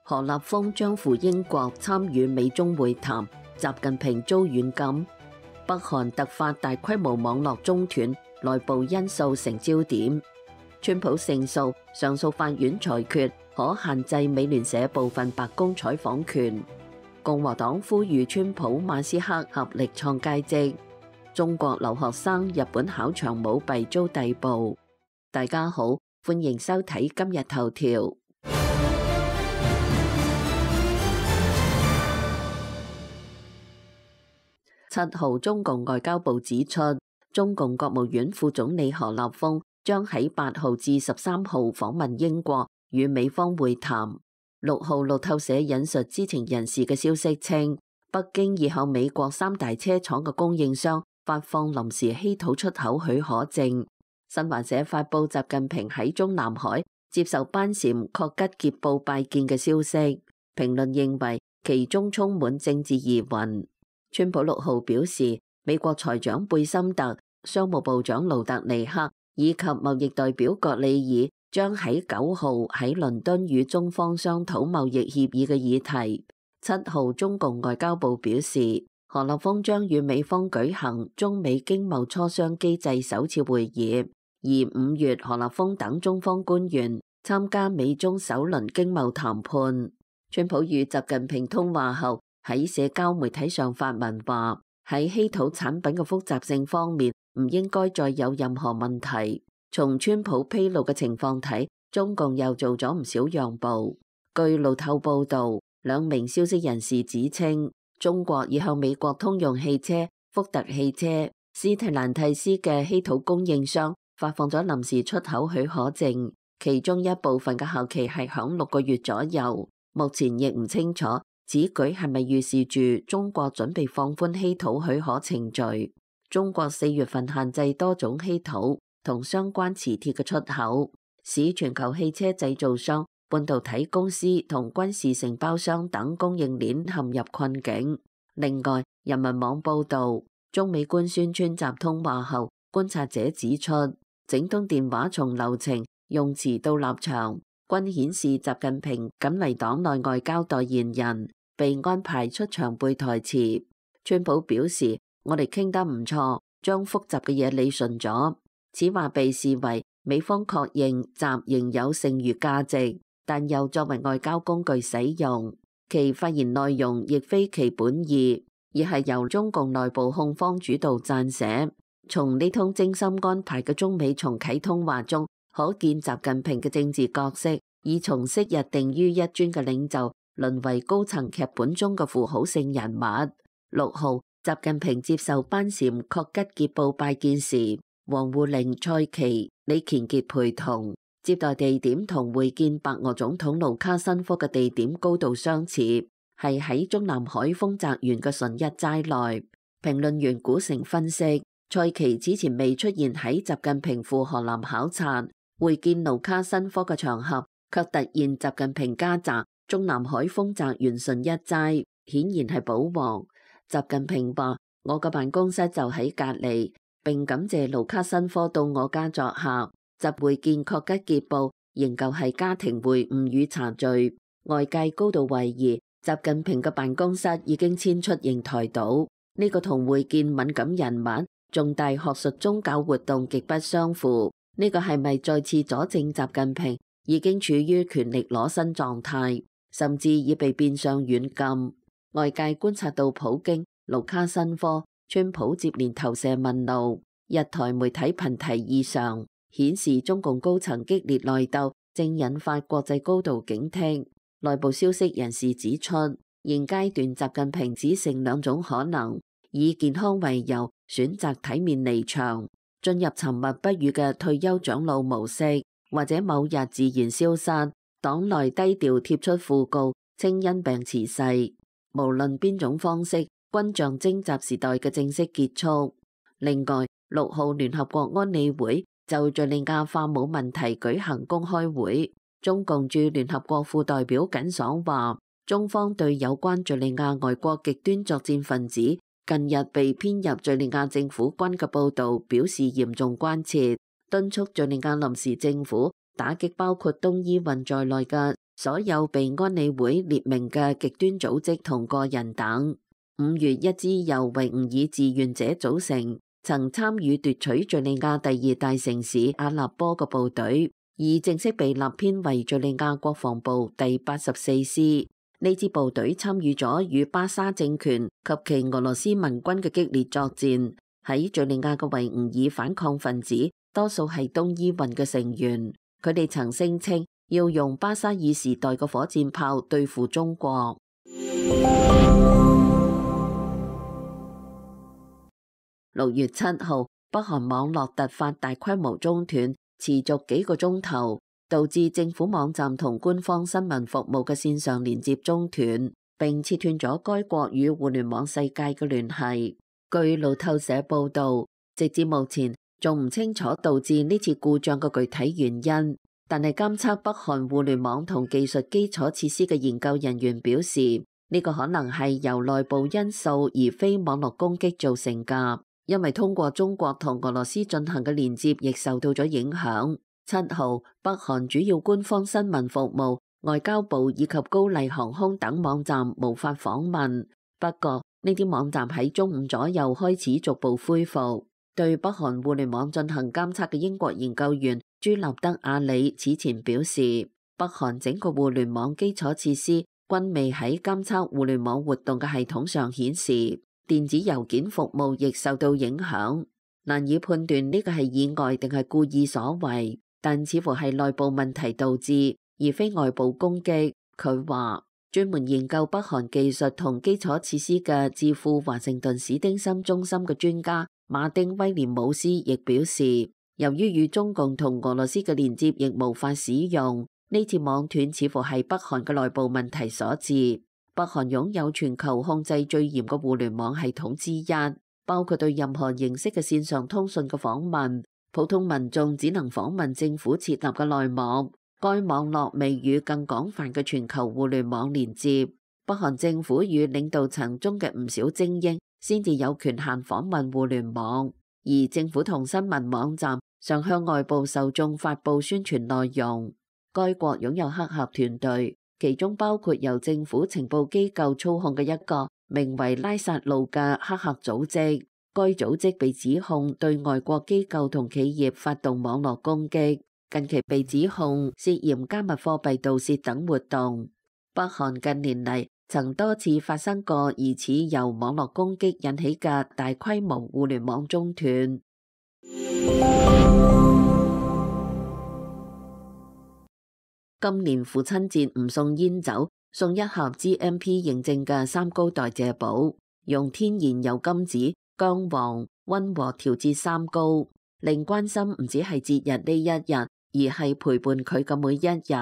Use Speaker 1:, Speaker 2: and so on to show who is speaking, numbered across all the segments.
Speaker 1: 何立峰將赴英國參與美中會談，習近平遭軟禁。北韓突發大規模網絡中斷，內部因素成焦點。川普勝訴，上訴法院裁決可限制美聯社部分白宮採訪權。共和黨呼籲川普、馬斯克合力創佳績。中國留學生日本考場舞弊遭逮捕。大家好，歡迎收睇今日頭條。7號，中共外交部指出，中共國務院副總理何立峰將喺8號至13號訪問英國，與美方會談。6號，路透社引述知情人士嘅消息稱，北京已向美國3大車廠嘅供應商發放臨時稀土出口許可證。新華社發布習近平喺中南海接受班禪確吉傑布拜見嘅消息，評論認為其中充滿政治疑雲。川普6號表示，美國財長貝森特、商務部長盧特尼克以及貿易代表葛里爾將喺9號喺倫敦與中方商討貿易協議嘅議題。7號，中共外交部表示，何立峰將與美方舉行中美經貿磋商機制首次會議，而5月何立峰等中方官員參加美中首輪經貿談判。川普與習近平通話後，喺社交媒體上發文話，喺稀土產品嘅複雜性方面唔應該再有任何問題。從川普披露嘅情況睇，中共又做咗唔少讓步。據路透報道，兩名消息人士指稱，中國已向美國通用汽車、福特汽車、斯特蘭蒂斯嘅稀土供應商發放咗臨時出口許可證，其中一部分嘅效期係響6個月左右。目前亦唔清楚此舉係咪預示住中國準備放寬稀土許可程序？中國4月份限制多種稀土同相關磁鐵嘅出口，使全球汽車製造商、半導體公司同軍事承包商等供應鏈陷入困境。另外，人民網報道，中美官宣川習通話後，觀察者指出，整通電話從流程、用詞到立場，均顯示習近平僅為黨內外交代言人，被安排出場背台詞。川普表示，我哋傾得唔錯，將複雜嘅嘢理順咗。此話被視為美方確認習仍有剩餘價值，但又作為外交工具使用。其發言內容亦非其本意，而係由中共內部控方主導撰寫。從呢通精心安排嘅中美重啟通話中，可見習近平嘅政治角色已從昔日定於一尊嘅領袖，淪為高層劇本中嘅符號性人物。6號，習近平接受班禪確吉傑布拜見時，王滬寧、蔡奇、李乾傑陪同，接待地點同會見白俄總統盧卡申科嘅地點高度相似，係喺中南海豐澤園嘅純一齋內。評論員古城分析，蔡奇此前未出現喺習近平赴河南考察會見盧卡申科嘅場合，卻突現習近平家宅中南海豐澤園純一齋，顯然係保皇。習近平話：我嘅辦公室就喺隔離，並感謝盧卡申科到我家作客。習會見確吉傑布仍舊係家庭會晤與茶敘，外界高度懷疑習近平嘅辦公室已經遷出瀛台島。呢個同會見敏感人物、重大學術宗教活動極不相符。呢個係咪再次佐證習近平已經處於權力裸身狀態，甚至已被變相軟禁？外界觀察到普京、盧卡申科、川普接連投射問路，日台媒體頻提異常，顯示中共高層激烈內鬥正引發國際高度警惕。內部消息人士指出，現階段習近平只剩2種可能：以健康為由選擇體面離場，進入沉默不語嘅退休長老模式，或者某日自然消失，黨內低調貼出訃告，稱因病辭世。無論邊種方式，均象徵習時代嘅正式結束。另外，6號聯合國安理會就敘利亞化武問題舉行公開會，中共駐聯合國副代表耿爽話，中方對有關敘利亞外國極端作戰分子近日被編入敘利亞政府軍嘅報導表示嚴重關切，敦促敘利亞臨時政府打擊包括東伊運在內嘅所有被安理會列明嘅極端組織同個人等。5月，一支由維吾爾志願者組成，曾參與奪取敘利亞第2大城市阿勒坡嘅部隊，已正式被立編為敘利亞國防部第84師。呢支部隊參與咗與巴沙政權及其俄羅斯盟軍嘅激烈作戰。喺敘利亞嘅維吾爾反抗分子多數係東伊運嘅成員，佢哋曾聲稱要用巴沙爾時代嘅火箭炮對付中國。6月7號，北韓網絡突發大規模中斷，持續幾個鐘頭，導致政府網站同官方新聞服務嘅線上連接中斷，並切斷咗該國與互聯網世界嘅聯繫。據路透社報導，直至目前仲唔清楚導致呢次故障嘅具體原因，但係監測北韓互聯網同技術基礎設施嘅研究人員表示，呢個可能係由內部因素而非網絡攻擊造成㗎。因為通過中國同俄羅斯進行嘅連接亦受到咗影響。7號，北韓主要官方新聞服務、外交部以及高麗航空等網站無法訪問。不過呢啲網站喺中午左右開始逐步恢復。對北韓互聯網進行監測嘅英國研究員朱納德亞里此前表示，北韓整個互聯網基礎設施均未喺監測互聯網活動嘅系統上顯示。電子郵件服務亦受到影響，難以判斷呢個係意外定係故意所為，但似乎係內部問題導致，而非外部攻擊。佢話，專門研究北韓技術同基礎設施嘅智庫華盛頓史丁森中心嘅專家馬丁威廉姆斯亦表示，由於與中共同俄羅斯嘅連接亦無法使用，呢次網斷似乎係北韓嘅內部問題所致。北韓擁有全球控制最嚴嘅互聯網系統之一，包括對任何形式嘅線上通訊嘅訪問，普通民眾只能訪問政府設立嘅內網。該網絡未與更廣泛嘅全球互聯網連接。北韓政府與領導層中嘅唔少精英先至有權限訪問互聯網，而政府同新聞網站常向外部受眾發布宣傳內容。該國擁有黑客團隊，其中包括由政府情報機構操控嘅一個名為拉薩路嘅黑客組織。該組織被指控對外國機構同企業發動網絡攻擊，近期被指控涉嫌加密貨幣盜竊等活動。北韓近年嚟曾多次發生過疑似由網絡攻擊引起嘅大規模互聯網中斷。今年父親節唔送煙酒，送一盒 GMP 認證嘅三高代謝寶，用天然油甘子、薑黃溫和調節三高，令關心唔止係節日呢一日，而係陪伴佢嘅每一日。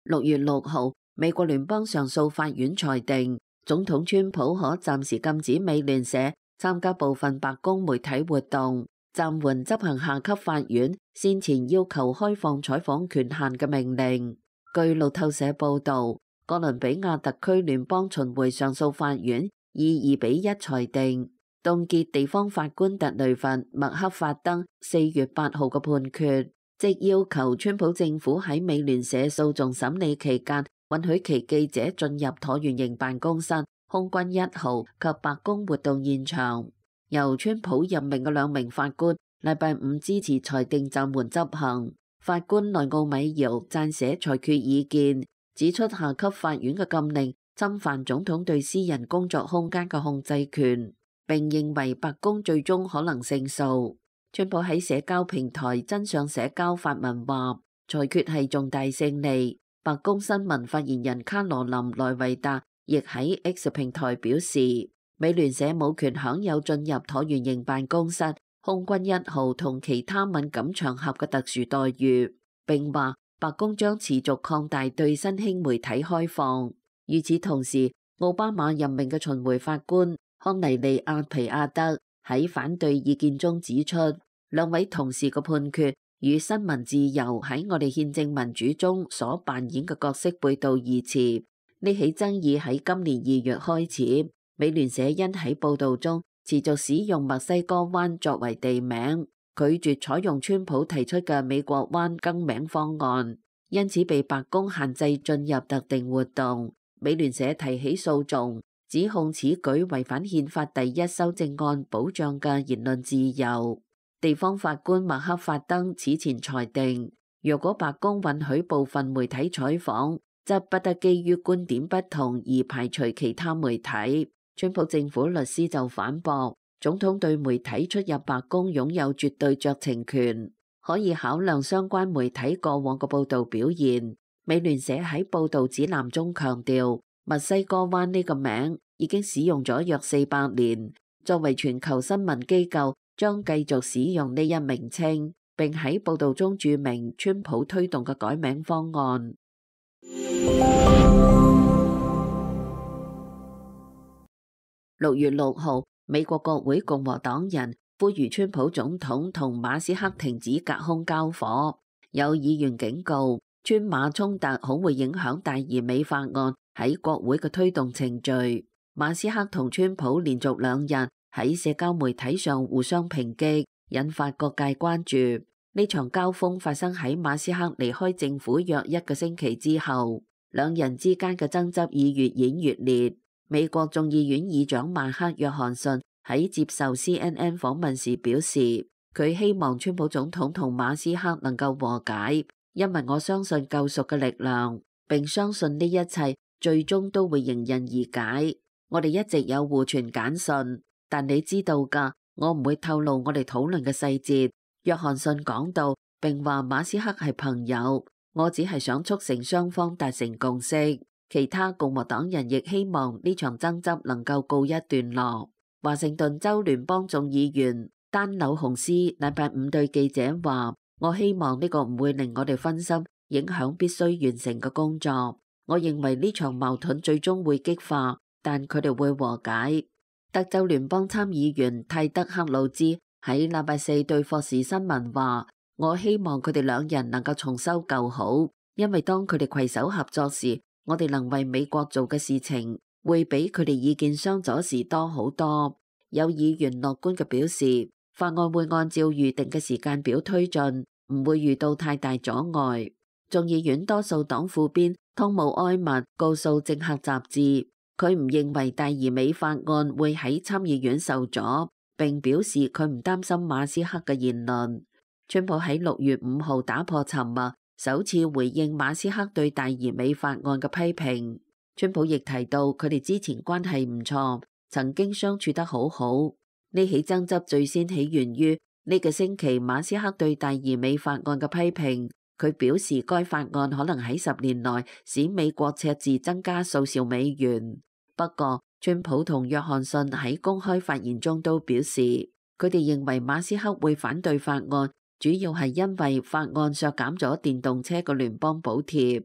Speaker 1: 6月6號，美國聯邦上訴法院裁定，總統川普可暫時禁止美聯社參加部分白宮媒體活動，暫緩執行下級法院先前要求開放採訪權限嘅命令。據路透社報導，哥倫比亞特區聯邦巡迴上訴法院以2-1裁定，凍結地方法官特雷弗麥克法登4月8號嘅判決，即要求川普政府喺美聯社訴訟審理期間允許其記者進入橢圓形辦公室、空軍1號及白宮活動現場。由川普任命嘅2名法官禮拜5支持裁定暫緩執行。法官內奧米堯撰寫裁決意見，指出下級法院嘅禁令侵犯總統對私人工作空間嘅控制權，並認為白宮最終可能勝訴。川普喺社交平台真相社交發文話，裁決係重大勝利。白宮新聞發言人卡羅琳萊維達亦喺 X 平台表示，美聯社冇權享有進入橢圓形辦公室、空軍1號同其他敏感場合嘅特殊待遇，並話白宮將持續擴大對新興媒體開放。與此同時，奧巴馬任命嘅巡迴法官康尼利亞皮亞德喺反對意見中指出，2位同事嘅判決與新聞自由喺我哋憲政民主中所扮演嘅角色背道而馳。呢起爭議喺今年2月開始，美聯社因喺報導中持續使用墨西哥灣作為地名，拒絕採用川普提出嘅美國灣更名方案，因此被白宮限制進入特定活動。美聯社提起訴訟，指控此舉違反憲法第1修正案保障嘅言論自由。地方法官麥克法登此前裁定，若果白宮允許部分媒體採訪，則不得基於觀點不同而排除其他媒體。川普政府律師就反駁，總統對媒體出入白宮擁有絕對酌情權，可以考量相關媒體過往嘅報導表現。美聯社喺報導指南中強調，墨西哥灣呢個名已經使用咗約400年，作為全球新聞機構將繼續使用呢一名稱，並喺報導中註明川普推動嘅改名方案。6月6號，美國國會共和黨人呼籲川普總統同馬斯克停止隔空交火，有議員警告，川馬衝突恐會影響大而美法案喺國會嘅推動程序。馬斯克同川普連續2日喺社交媒體上互相抨擊，引發各界關注。呢場交鋒發生喺馬斯克離開政府約1個星期之後，兩人之間嘅爭執已越演越烈。美國眾議院議長邁克約翰遜喺接受 CNN 訪問時表示，佢希望川普總統同馬斯克能夠和解，因為我相信救贖嘅力量，並相信呢一切最終都會迎刃而解。我哋一直有互傳簡訊，但你知道㗎，我唔會透露我哋討論嘅細節。約翰遜講到，並話馬斯克係朋友，我只係想促成雙方達成共識。其他共和黨人亦希望呢場爭執能夠告一段落。華盛頓州聯邦眾議員丹紐洪斯禮拜5對記者話，我希望呢個唔會令我哋分心，影響必須完成嘅工作。我認為呢場矛盾最終會激化，但佢哋會和解。德州聯邦參議員泰德克魯茲喺禮拜4對霍士新聞話，我希望佢哋兩人能夠重修舊好，因為當佢哋攜手合作時，我哋能為美國做嘅事情會比佢哋意見相左時多好多。有議員樂觀嘅表示，法案會按照預定嘅時間表推進，唔會遇到太大阻礙。眾議院多數黨副編湯姆埃默告訴政客雜誌，佢唔認為大而美法案會喺參議院受阻，並表示佢唔擔心馬斯克嘅言論。川普喺6月5號打破沉默，首次回應馬斯克對大而美法案嘅批評。川普亦提到佢哋之前關係唔錯，曾經相處得好好。呢起爭執最先起源於呢個星期馬斯克對大而美法案嘅批評。佢表示該法案可能喺10年內使美國赤字增加數兆美元。不過，川普同約翰遜喺公開發言中都表示，佢哋認為馬斯克會反對法案，主要係因為法案削減咗電動車嘅聯邦補貼。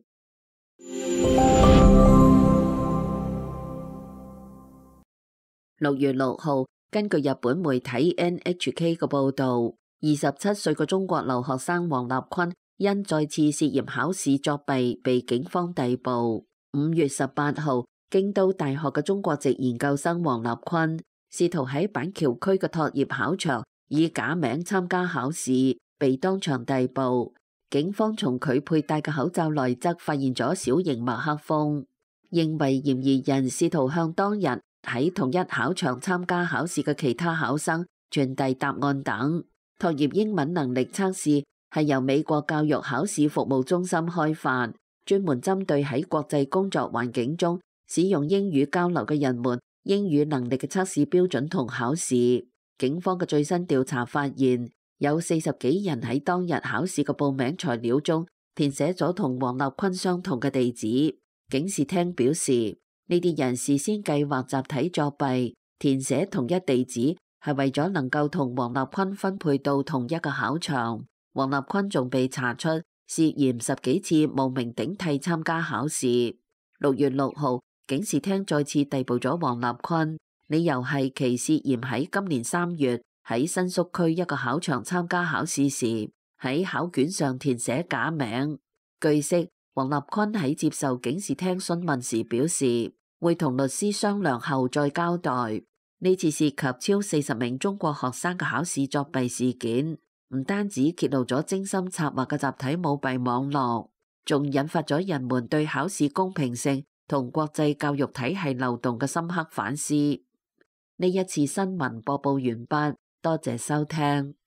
Speaker 1: 6月6號，根據日本媒體 NHK 嘅報導，27歲嘅中國留學生王立坤因再次涉嫌考試作弊被警方逮捕。5月18號，京都大學嘅中國籍研究生王立坤試圖喺板橋區嘅托業考場以假名參加考試，被當場逮捕。警方從佢佩戴嘅口罩內側發現咗小型麥克風，認為嫌疑人試圖向當日喺同一考場參加考試嘅其他考生傳遞答案等。托業英文能力測試係由美國教育考試服務中心開發，專門針對喺國際工作環境中使用英語交流嘅人們英語能力嘅測試標準同考試。警方嘅最新調查發現，有40幾人喺當日考試嘅報名材料中填寫咗同王立坤相同嘅地址。警視廳表示，呢啲人事先計劃集體作弊，填寫同一地址係為咗能夠同王立坤分配到同一個考場。王立坤仲被查出涉嫌10幾次冒名頂替參加考試。6月6號，警視廳再次逮捕咗王立坤，理由係其涉嫌喺今年3月喺新宿區一個考場參加考試時，喺考卷上填寫假名。據悉，王立坤喺接受警視廳詢問時表示，會同律師商量後再交代。呢次涉及超40名中國學生嘅考試作弊事件，唔單止揭露咗精心策劃嘅集體舞弊網絡，仲引發咗人們對考試公平性同國際教育體系漏洞嘅深刻反思。呢一次新聞播報完畢，多謝收聽。